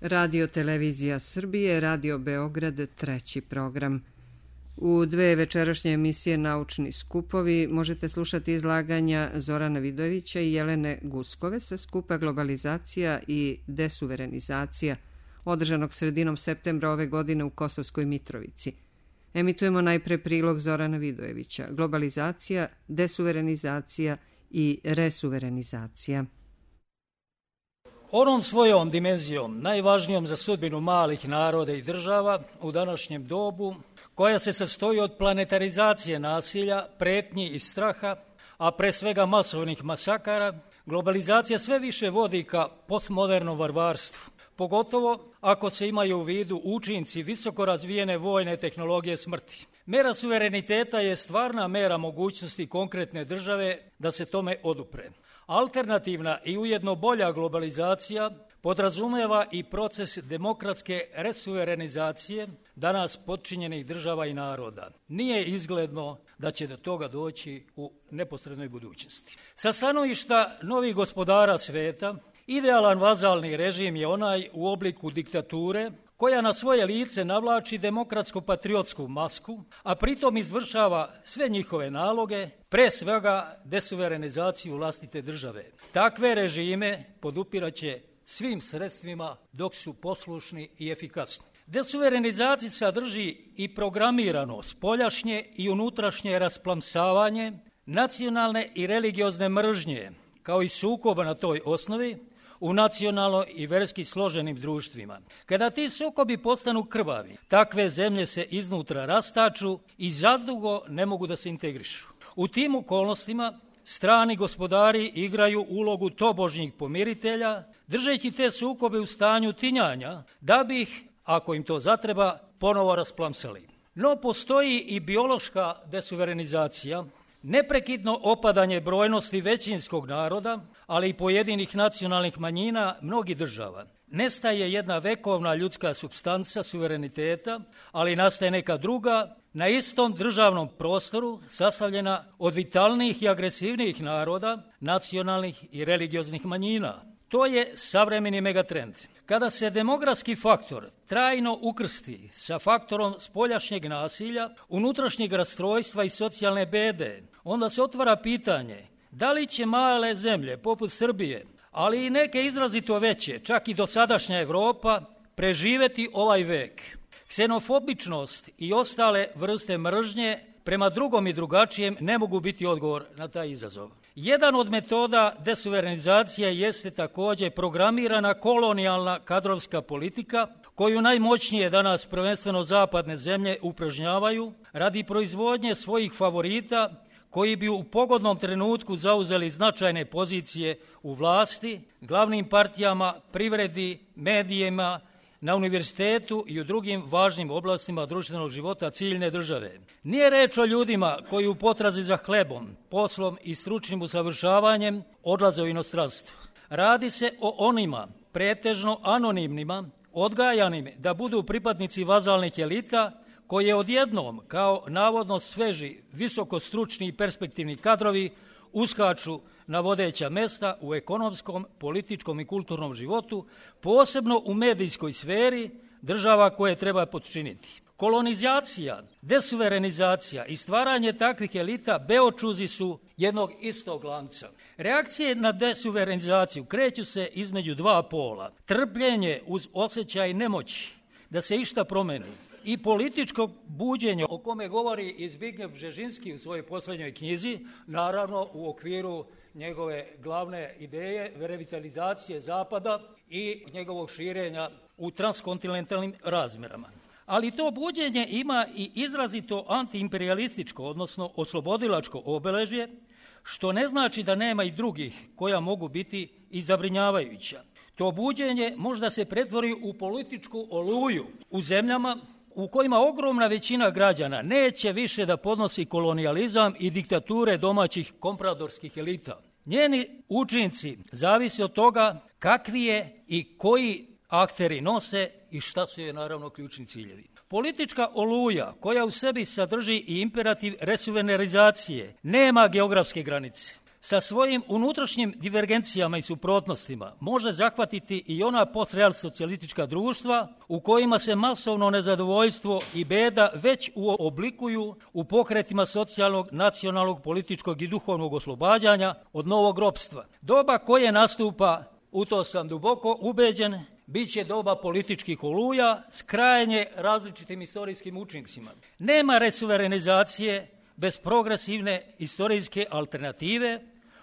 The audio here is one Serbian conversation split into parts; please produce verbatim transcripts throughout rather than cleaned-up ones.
Radio Televizija Srbije, Radio Beograd, treći program. U dve večerašnje emisije Naučni skupovi možete slušati izlaganja Zorana Vidojevića i Jelene Guskove sa skupa Globalizacija i desuverenizacija, održanog sredinom septembra ove godine u Kosovskoj Mitrovici. Emitujemo najpre prilog Zorana Vidojevića, Globalizacija, desuverenizacija i resuverenizacija. Onom svojom dimenzijom, najvažnijom za sudbinu malih naroda i država u današnjem dobu, koja se sastoji od planetarizacije nasilja, pretnji i straha, a pre svega masovnih masakara, globalizacija sve više vodi ka postmodernom varvarstvu, pogotovo ako se imaju u vidu učinci visoko razvijene vojne tehnologije smrti. Mera suvereniteta je stvarna mera mogućnosti konkretne države da se tome odupre. Alternativna i ujedno bolja globalizacija podrazumeva i proces demokratske resuverenizacije danas potčinjenih država i naroda. Nije izgledno da će do toga doći u neposrednoj budućnosti. Sa stanovišta novih gospodara sveta, idealan vazalni režim je onaj u obliku diktature koja na svoje lice navlači demokratsko-patriotsku masku, a pritom izvršava sve njihove naloge, pre svega desuverenizaciju vlastite države. Takve režime podupiraće svim sredstvima dok su poslušni i efikasni. Desuverenizacija sadrži i programirano spoljašnje i unutrašnje rasplamsavanje nacionalne i religiozne mržnje, kao i sukoba na toj osnovi, u nacionalno i verski složenim društvima. Kada ti sukobi postanu krvavi, takve zemlje se iznutra rastaču i zadugo ne mogu da se integrišu. U tim okolnostima strani gospodari igraju ulogu tobožnjih pomiritelja, držeći te sukobe u stanju tinjanja, da bi ih, ako im to zatreba, ponovo rasplamsali. No postoji i biološka desuverenizacija, neprekidno opadanje brojnosti većinskog naroda, ali i pojedinih nacionalnih manjina mnogih država. Nestaje jedna vekovna ljudska supstanca suvereniteta, ali nastaje neka druga, na istom državnom prostoru, sastavljena od vitalnijih i agresivnijih naroda, nacionalnih i religioznih manjina. To je savremeni megatrend. Kada se demografski faktor trajno ukrsti sa faktorom spoljašnjeg nasilja, unutrašnjeg rastrojstva i socijalne bede, onda se otvara pitanje da li će male zemlje poput Srbije, ali i neke izrazito veće, čak i dosadašnja Evropa, preživeti ovaj vek. Ksenofobičnost i ostale vrste mržnje prema drugom i drugačijem ne mogu biti odgovor na taj izazov. Jedan od metoda desuverenizacije jeste također programirana kolonijalna kadrovska politika, koju najmoćnije danas prvenstveno zapadne zemlje upražnjavaju radi proizvodnje svojih favorita koji bi u pogodnom trenutku zauzeli značajne pozicije u vlasti, glavnim partijama, privredi, medijima, na univerzitetu i u drugim važnim oblastima društvenog života ciljne države. Nije reč o ljudima koji u potrazi za hlebom, poslom i stručnim usavršavanjem odlaze u inostranstvo. Radi se o onima, pretežno anonimnima, odgajanim da budu pripadnici vazalnih elita, koje odjednom, kao navodno sveži, visoko stručni i perspektivni kadrovi, uskaču na vodeća mesta u ekonomskom, političkom i kulturnom životu, posebno u medijskoj sferi država koje treba potčiniti. Kolonizacija, desuverenizacija i stvaranje takvih elita beočuzi su jednog istog lanca. Reakcije na desuverenizaciju kreću se između dva pola. Trpljenje uz osjećaj nemoći da se išta promeni i političko buđenje o kome govori i Zbigniew Bžežinski u svojoj posljednjoj knjizi, naravno u okviru njegove glavne ideje revitalizacije Zapada i njegovog širenja u transkontinentalnim razmjerama. Ali to buđenje ima i izrazito antiimperialističko, odnosno oslobodilačko obeležje, što ne znači da nema i drugih koja mogu biti i zabrinjavajuća. To buđenje možda se pretvori u političku oluju u zemljama u kojima ogromna većina građana neće više da podnosi kolonijalizam i diktature domaćih kompradorskih elita. Njeni učinci zavise od toga kakvi je i koji akteri nose i šta su je naravno ključni ciljevi. Politička oluja koja u sebi sadrži i imperativ resuverenizacije nema geografske granice. sa svojim unutrašnjim divergencijama i suprotnostima može zahvatiti i ona postreal socijalistička društva u kojima se masovno nezadovoljstvo i beda već oblikuju u pokretima socijalnog, nacionalnog, političkog i duhovnog oslobađanja od novog ropstva. Doba koje nastupa, u to sam duboko ubeđen, bit će doba političkih oluja s krajnje različitim istorijskim učincima. Nema resuverenizacije bez progresivne istorijske alternative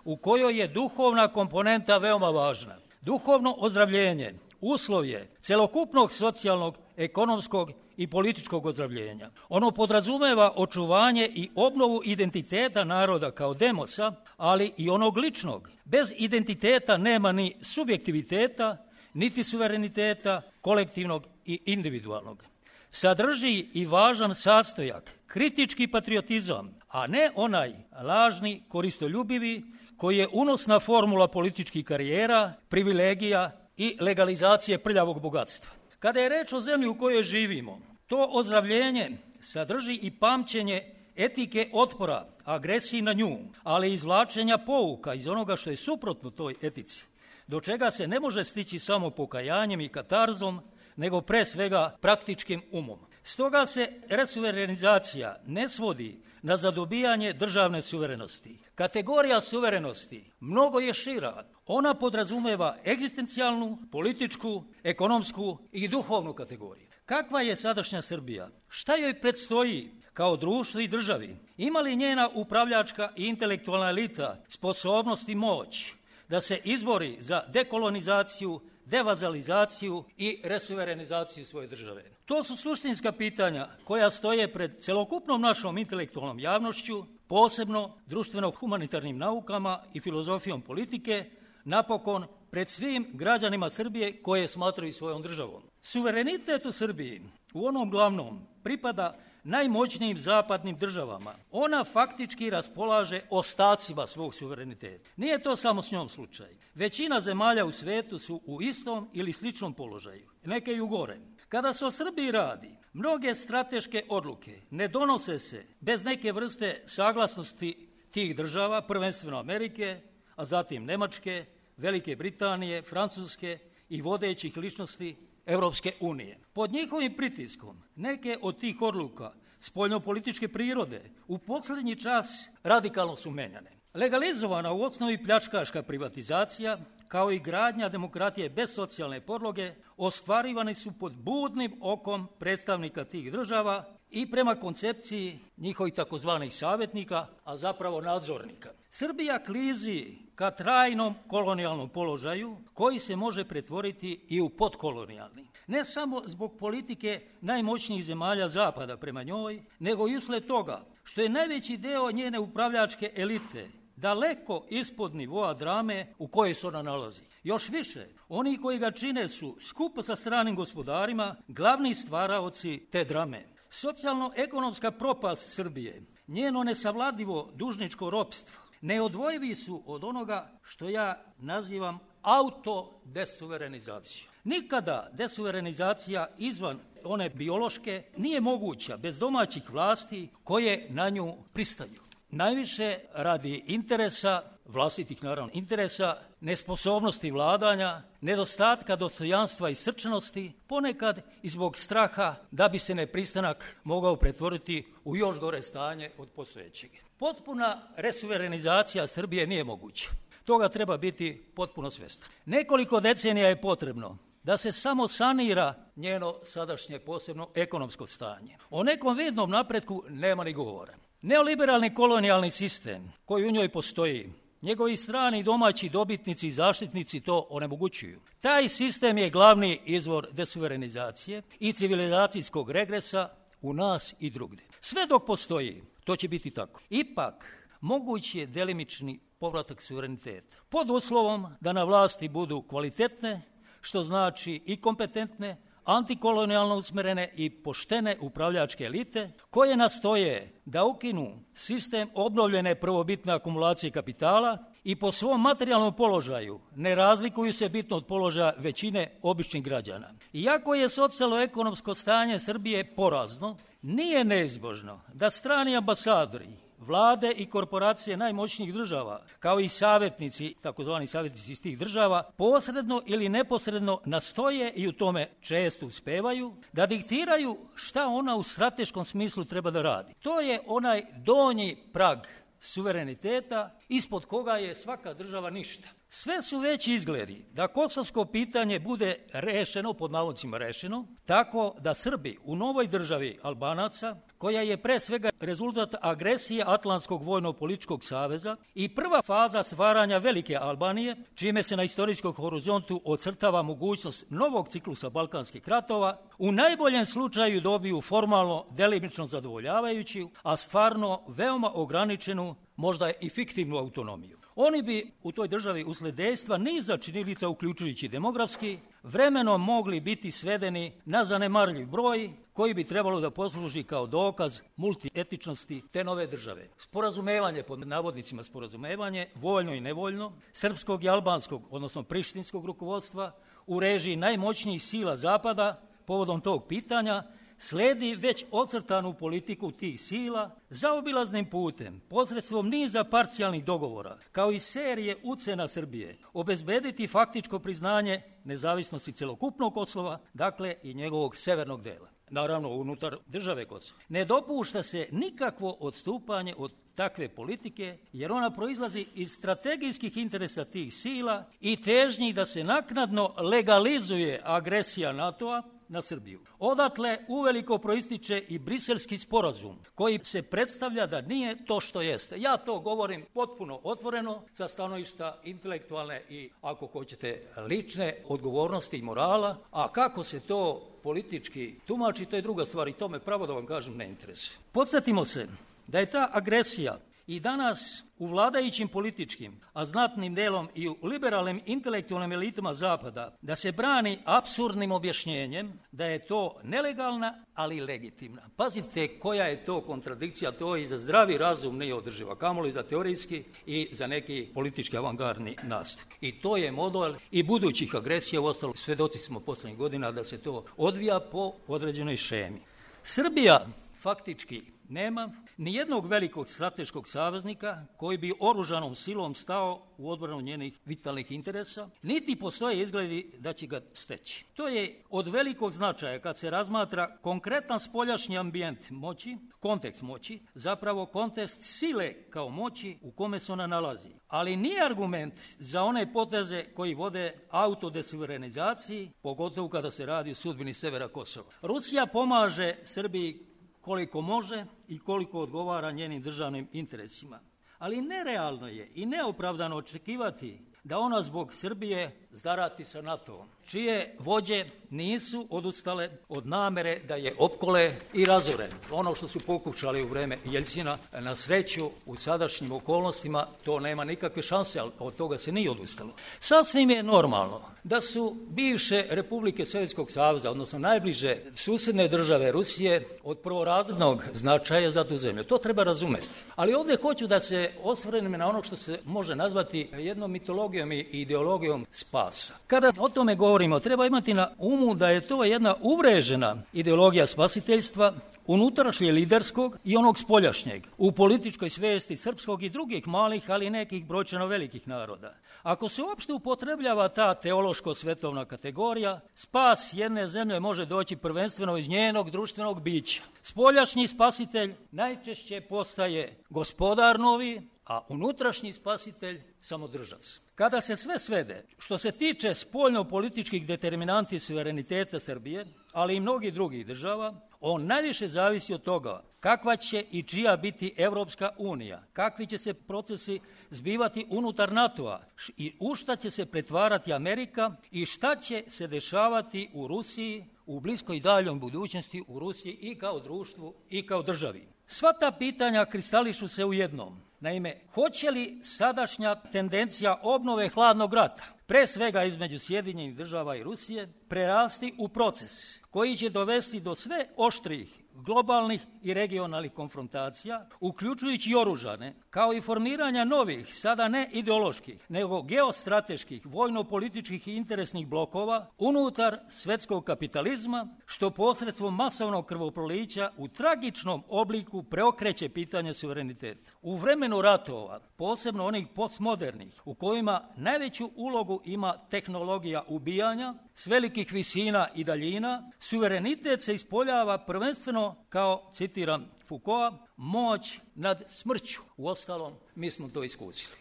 u kojoj je duhovna komponenta veoma važna. Duhovno ozdravljenje uslov je celokupnog socijalnog, ekonomskog i političkog ozdravljenja. Ono podrazumeva očuvanje i obnovu identiteta naroda kao demosa, ali i onog ličnog. Bez identiteta nema ni subjektiviteta, niti suvereniteta kolektivnog i individualnog. Sadrži i važan sastojak, kritički patriotizam, a ne onaj lažni, koristoljubivi, koji je unosna formula političkih karijera, privilegija i legalizacije prljavog bogatstva. Kada je reč o zemlji u kojoj živimo, to ozdravljenje sadrži i pamćenje etike otpora, agresiji na nju, ali i izvlačenja pouka iz onoga što je suprotno toj etici, do čega se ne može stići samo pokajanjem i katarzom, nego pre svega praktičkim umom. Stoga se resuverenizacija ne svodi na zadobijanje državne suverenosti. Kategorija suverenosti mnogo je šira. Ona podrazumeva egzistencijalnu, političku, ekonomsku i duhovnu kategoriju. Kakva je sadašnja Srbija? Šta joj predstoji kao društvu i državi? Ima li njena upravljačka i intelektualna elita sposobnost i moć da se izbori za dekolonizaciju, devazalizaciju i resuverenizaciju svoje države? To su suštinska pitanja koja stoje pred celokupnom našom intelektualnom javnošću, posebno društveno-humanitarnim naukama i filozofijom politike, napokon pred svim građanima Srbije koje smatraju svojom državom. Suverenitet u Srbiji u onom glavnom pripada najmoćnijim zapadnim državama. Ona faktički raspolaže ostacima svog suvereniteta. Nije to samo s njom slučaj. Većina zemalja u svetu su u istom ili sličnom položaju, neke i u gore. Kada se o Srbiji radi, mnoge strateške odluke ne donose se bez neke vrste saglasnosti tih država, prvenstveno Amerike, a zatim Nemačke, Velike Britanije, Francuske i vodećih ličnosti Evropske unije. Pod njihovim pritiskom neke od tih odluka spoljnopolitičke prirode u posljednji čas radikalno su menjane. Legalizovana u osnovi pljačkaška privatizacija, kao i gradnja demokratije bez socijalne podloge, ostvarivani su pod budnim okom predstavnika tih država i prema koncepciji njihovih takozvanih savjetnika, a zapravo nadzornika. Srbija klizi ka trajnom kolonijalnom položaju koji se može pretvoriti i u podkolonijalni. Ne samo zbog politike najmoćnijih zemalja zapada prema njoj, nego i usled toga što je najveći deo njene upravljačke elite daleko ispod nivoa drame u kojoj se ona nalazi. Još više, oni koji ga čine su, skupo sa stranim gospodarima, glavni stvaraoci te drame. Socijalno-ekonomska propast Srbije, njeno nesavladivo dužničko ropstvo, neodvojivi su od onoga što ja nazivam autodesuverenizaciju. Nikada desuverenizacija izvan one biološke nije moguća bez domaćih vlasti koje na nju pristaju. Najviše radi interesa, vlastitih naravno interesa, nesposobnosti vladanja, nedostatka dostojanstva i srčanosti, ponekad i zbog straha da bi se nepristanak mogao pretvoriti u još gore stanje od postojećeg. Potpuna resuverenizacija Srbije nije moguća. Toga treba biti potpuno svjestan. Nekoliko decenija je potrebno da se samo sanira njeno sadašnje posebno ekonomsko stanje. O nekom vidnom napretku nema ni govora. Neoliberalni kolonijalni sistem koji u njoj postoji, njegovi strani i domaći dobitnici i zaštitnici to onemogućuju. Taj sistem je glavni izvor desuverenizacije i civilizacijskog regresa u nas i drugdje. Sve dok postoji, to će biti tako. Ipak, moguć je delimični povratak suvereniteta. Pod uslovom da na vlasti budu kvalitetne, što znači i kompetentne, antikolonijalno usmerene i poštene upravljačke elite, koje nastoje da ukinu sistem obnovljene prvobitne akumulacije kapitala i po svom materijalnom položaju ne razlikuju se bitno od položaja većine običnih građana. Iako je socijalno-ekonomsko stanje Srbije porazno, nije neizbožno da strani ambasadori, vlade i korporacije najmoćnijih država, kao i savjetnici, takozvani savjetnici iz tih država, posredno ili neposredno nastoje i u tome često uspevaju da diktiraju šta ona u strateškom smislu treba da radi. To je onaj donji prag suvereniteta ispod koga je svaka država ništa. Sve su veći izgledi da kosovsko pitanje bude rešeno, pod navodnicima rešeno, tako da Srbi u novoj državi Albanaca, koja je pre svega rezultat agresije Atlantskog vojno-političkog saveza i prva faza stvaranja velike Albanije, čime se na istorijskom horizontu ocrtava mogućnost novog ciklusa balkanskih ratova, u najboljem slučaju dobiju formalno delimično zadovoljavajući, a stvarno veoma ograničenu, možda i fiktivnu autonomiju. Oni bi u toj državi usled dejstva niza činjenica, uključujući demografski, vremenom mogli biti svedeni na zanemarljiv broj koji bi trebalo da posluži kao dokaz multietičnosti te nove države. Sporazumevanje, pod navodnicima sporazumevanje, voljno i nevoljno, srpskog i albanskog, odnosno prištinskog rukovodstva u režiji najmoćnijih sila Zapada povodom tog pitanja, sledi već ocrtanu politiku tih sila zaobilaznim putem, posredstvom niza parcijalnih dogovora, kao i serije ucena Srbije, obezbediti faktičko priznanje nezavisnosti celokupnog Kosova, dakle i njegovog severnog dela. Naravno, unutar države Kosova. Ne dopušta se nikakvo odstupanje od takve politike, jer ona proizlazi iz strategijskih interesa tih sila i težnji da se naknadno legalizuje agresija NATO-a na Srbiju. Odatle uveliko proističe i briselski sporazum, koji se predstavlja da nije to što jeste. Ja to govorim potpuno otvoreno sa stanovišta intelektualne i, ako hoćete, lične odgovornosti i morala, a kako se to politički tumači, to je druga stvar i to me, pravo da vam kažem, ne interesuje. Podsjetimo se da je ta agresija i danas u vladajućim političkim, a znatnim delom i u liberalnim intelektualnim elitama Zapada, da se brani apsurdnim objašnjenjem da je to nelegalna, ali i legitimna. Pazite koja je to kontradikcija, to i za zdravi razum nije održiva, kamoli za teorijski i za neki politički avangardni nastup. I to je model i budućih agresija, uostalom svedoci smo poslednjih godina da se to odvija po određenoj šemi. Srbija faktički nema ni jednog velikog strateškog saveznika koji bi oružanom silom stao u odbranu njenih vitalnih interesa, niti postoje izgledi da će ga steći. To je od velikog značaja kad se razmatra konkretan spoljašnji ambijent moći, kontekst moći, zapravo kontekst sile kao moći u kome se ona nalazi. Ali nije argument za one poteze koji vode autodesuverenizaciji, pogotovo kada se radi o sudbini severa Kosova. Rusija pomaže Srbiji koliko može i koliko odgovara njenim državnim interesima. Ali nerealno je i neopravdano očekivati da ona zbog Srbije zarati sa NATO-om, čije vođe nisu odustale od namere da je opkole i razore. Ono što su pokušali u vreme Jeljcina, na sreću u sadašnjim okolnostima to nema nikakve šanse, ali od toga se nije odustalo. Sasvim je normalno da su bivše republike Sovjetskog saveza, odnosno najbliže susedne države Rusije, od prvorazrednog značaja za tu zemlju. To treba razumeti. Ali ovdje hoću da se osvrnem na ono što se može nazvati jednom mitologijom i ideologijom spasa. Kada o tome govorimo, treba imati na umu da je to jedna uvrežena ideologija spasiteljstva, unutrašnje liderskog i onog spoljašnjeg, u političkoj svijesti srpskog i drugih malih, ali nekih brojčano velikih naroda. Ako se uopšte upotrebljava ta teološko-svetovna kategorija, spas jedne zemlje može doći prvenstveno iz njenog društvenog bića. Spoljašnji spasitelj najčešće postaje gospodar novi, a unutrašnji spasitelj samodržac. Kada se sve svede, što se tiče spoljno-političkih determinanti suvereniteta Srbije, ali i mnogih drugih država, on najviše zavisi od toga kakva će i čija biti Evropska unija, kakvi će se procesi zbivati unutar NATO-a i u šta će se pretvarati Amerika i šta će se dešavati u Rusiji, u bliskoj i daljom budućnosti u Rusiji i kao društvu i kao državi. Sva ta pitanja kristališu se u jednom. Naime, hoće li sadašnja tendencija obnove hladnog rata, pre svega između Sjedinjenih država i Rusije, prerasti u proces koji će dovesti do sve oštrih globalnih i regionalnih konfrontacija, uključujući i oružane, kao i formiranja novih, sada ne ideoloških, nego geostrateških, vojno-političkih i interesnih blokova unutar svetskog kapitalizma, što posredstvom masovnog krvoprolića u tragičnom obliku preokreće pitanje suvereniteta. U vremenu ratova, posebno onih postmodernih, u kojima najveću ulogu ima tehnologija ubijanja s velikih visina i daljina, suverenitet se ispoljava prvenstveno kao, citiram Foucaulta, moć nad smrću. Uostalom, mi smo to iskusili.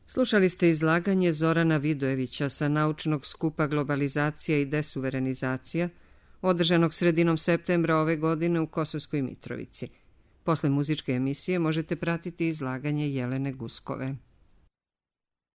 Slušali ste izlaganje Zorana Vidojevića sa naučnog skupa Globalizacija i desuverenizacija, održanog sredinom septembra ove godine u Kosovskoj Mitrovici. Posle muzičke emisije možete pratiti izlaganje Jelene Guskove.